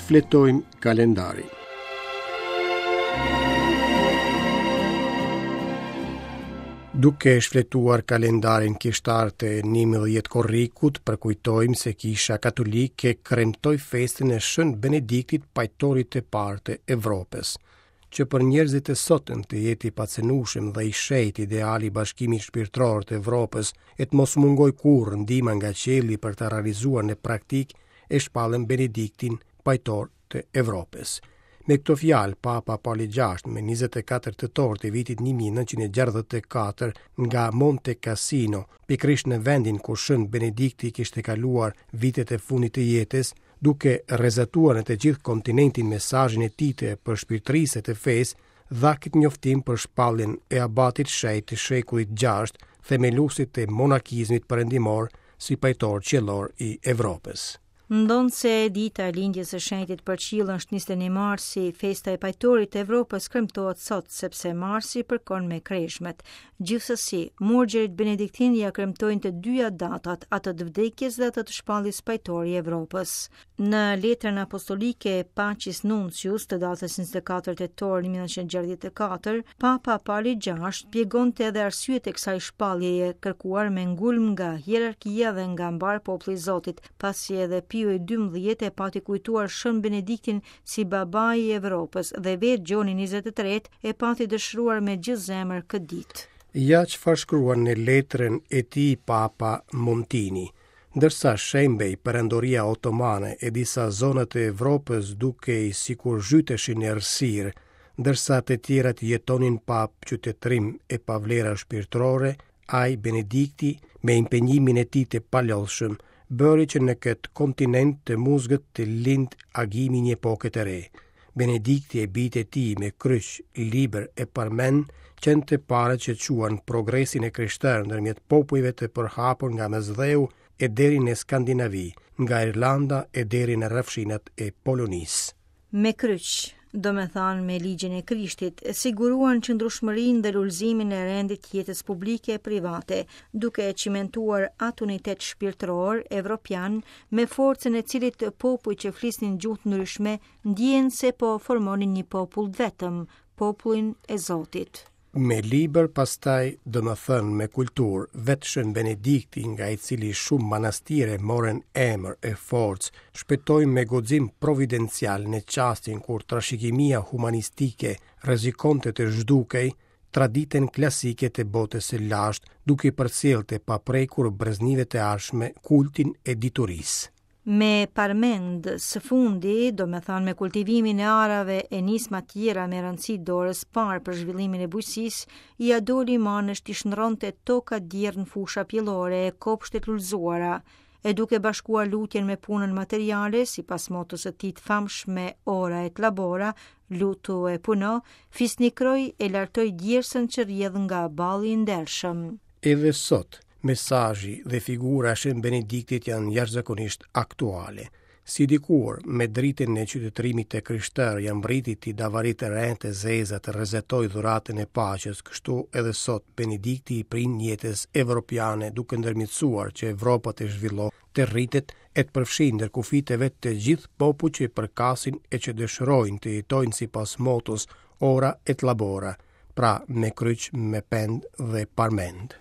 Shfletojmë kalendarin. Duke shfletuar kalendarin kishtar të 11 korrikut, përkujtojmë se Kisha Katolike kremtoi festën e Shën Benediktit, pajtorit të parë të Evropës. Që për njerëzit e sotëm të jetë i pacenueshëm dhe i shenjtë ideali i bashkimit shpirtëror të Evropës e të mos mungojë kurrë ndihma nga qielli për ta realizuar në praktikë, e shpallën Benediktin pajtor të Evropës. Me këto fjalë, Papa Pali VI më 24 tetor të vitit 1964 nga Monte Cassino, pikërisht në vendin ku Shën Benedikti kishte kaluar vitet e fundit të jetës, duke rrezatuar në të gjithë kontinentin mesazhin e tij të përshpirtërisë e të fesë, dha këtë njoftim për shpalljen e abatit shenjt të shekullit VI, themeluesit të monakizmit perëndimor si pajtor qiellor i Evropës. Ndonëse dita e lindjes së shenjtit për qiell është 21 marsi, festa e pajtorit të Evropës kremtohet sot sepse marsi përkon me kreshmet. Gjithsesi, murgjërit benediktinë ia kremtojnë të dyja datat, atë të vdekjes dhe atë të shpalljes pajtor i Evropës. Në letrën apostolike Pacis Nuntius të datës 24 tetor 1964, Papa Pali VI shpjegonte edhe arsyet e kësaj shpalljeje, kërkuar me ngulm nga hierarkia dhe nga mbarë populli i Zotit, pasi edhe Pio i XII e pati kujtuar Shën Benediktin si babai i Evropës dhe vetë Gjoni 23 e pati dëshiruar me gjithë zemër këtë ditë. Ja çfarë shkruan në letrën e tij Papa Montini. Ndërsa shembej Perandoria Otomane e disa zona të Evropës dukej sikur zhyteshin në errësirë, ndërsa të tjerat jetonin pa qytetërim e pa vlera shpirtërore, ai, Benedikti, me impenjimin e tij të palodhshëm, bëri që në këtë kontinent të muzgët të lindte agimi i një epoke të re. Benedikti e bijtë e tij me kryq, libër e parmendë qenë të parët që çuan progresin e krishterë ndërmjet popujve të përhapur nga Mesdheu e deri në Skandinavi, nga Irlanda e deri në rrafshinat e Polonisë. Me kryq, domethënë me ligjin e Krishtit, siguruan qëndrueshmërinë dhe lulëzimin e rendit të jetës publike e private, duke e çimentuar atë unitet shpirtëror evropian me forcën e cilit popujt që flisnin gjuhë të ndryshme ndjenë se po formonin një popull të vetëm, popullin e Zotit. Me libër pastaj, domethënë me kulturë, vetë Shën Benedikti, nga i cili shumë manastire morën emër e forcë, shpëtoi me guxim providencial në çastin kur trashëgimia humanistike rrezikonte të zhdukej, traditën klasike të botës së lashtë, duke i përcjellë të paprekur breznive të ardhshme kultin e diturisë. Me parmendë, së fundi, domethënë me kultivimin e arave e nisma tjera me rëndësi dorës parë për zhvillimin e bujqësisë, ia doli manësh t'i shndërronte tokat djerrë në fusha pjellore e kopshte të lulëzuara, e duke bashkuar lutjen me punën materiale, sipas motos së tij të famshme ora et labora, lutu e puno, fisnikroi e lartoi djersën që rrjedh nga balli i ndershëm. Edhe sot, mesazhi dhe figura e Shën Benediktit janë jashtëzakonisht aktuale. Si dikur, me dritën e qytetërimit të krishterë ia mbriti t'i davaritë retë e zeza të rrezatojë dhuratën e paqes, kështu edhe sot Benedikti i prin jetës evropiane duke ndërmjetësuar që Evropa të zhvillohet, të rritet e të përfshijë ndër kufijtë e vet të gjithë popujt që i përkasin e që dëshirojnë të jetojnë sipas motos ora et labora, pra me kryq, me pendë dhe parmendë.